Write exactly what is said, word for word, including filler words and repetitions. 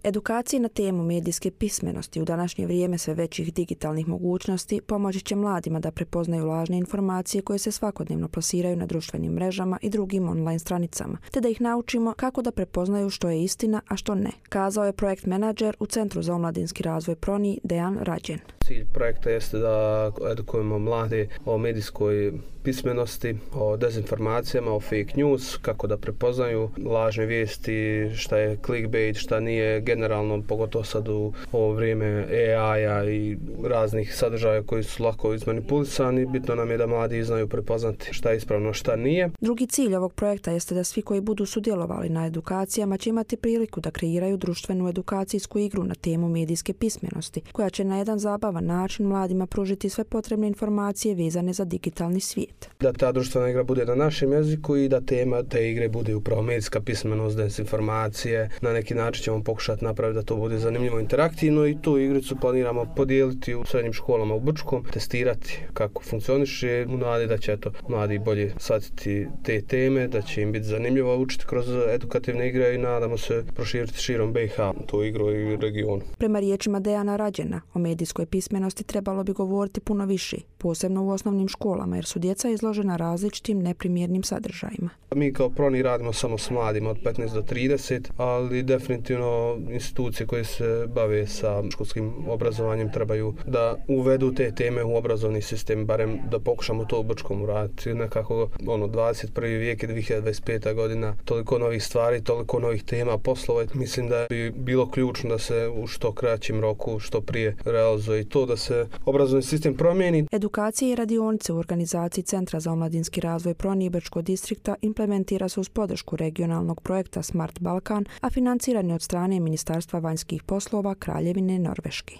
Edukaciji na temu medijske pismenosti u današnje vrijeme sve većih digitalnih mogućnosti pomoći će mladima da prepoznaju lažne informacije koje se svakodnevno plasiraju na društvenim mrežama i drugim online stranicama, te da ih naučimo kako da prepoznaju što je istina, a što ne, kazao je projekt menadžer u Centru za omladinski razvoj Proni Dejan Rađen. Cilj projekta jeste da edukujemo mlade o medijskoj pismenosti, o dezinformacijama, o fake news, kako da prepoznaju lažne vijesti, šta je clickbait, šta nije, generalno, pogotovo sad u ovo vrijeme A I-a i raznih sadržaja koji su lako izmanipulisani. Bitno nam je da mladi znaju prepoznati šta je ispravno, šta nije. Drugi cilj ovog projekta jeste da svi koji budu sudjelovali na edukacijama će imati priliku da kreiraju društvenu edukacijsku igru na temu medijske pismenosti, koja će na jedan zabavan način mladima pružiti sve potrebne informacije vezane za digitalni svijet. Da ta društvena igra bude na našem jeziku i da tema te igre bude upravo medijska pismenost, dezinformacije. Na neki način ćemo pokušati napraviti da to bude zanimljivo, interaktivno i tu igricu planiramo podijeliti u srednjim školama u Brčkom, testirati kako funkcioniše, u nadi da će eto, mladi bolje shvatiti te teme, da će im biti zanimljivo učiti kroz edukativne igre i nadamo se proširiti širom B i H tu igru i regionu. Prema riječima Dejana Rađena, o medijskoj pismenosti trebalo bi govoriti puno više, posebno u osnovnim školama, jer su djeca izložena različitim neprimjernim sadržajima. Mi kao Proni radimo samo s mladima od petnaest do trideset, ali definitivno institucije koje se bave sa školskim obrazovanjem trebaju da uvedu te teme u obrazovni sistem, barem da pokušamo to u Brčkom uraditi. Nekako ono, dvadeset prvi vijek je dvije hiljade dvadeset peta godina, toliko novih stvari, toliko novih tema, poslova. Mislim da bi bilo ključno da se u što kraćem roku, što prije realizuje i to da se obrazovni sistem promijeni. Edukacije i radionice u organizaciji Centra za omladinski razvoj Proni i Brčkog distrikta implementira se uz podršku regionalnog projekta Smart Balkan, a financiran je od strane Ministarstva vanjskih poslova Kraljevine Norveške.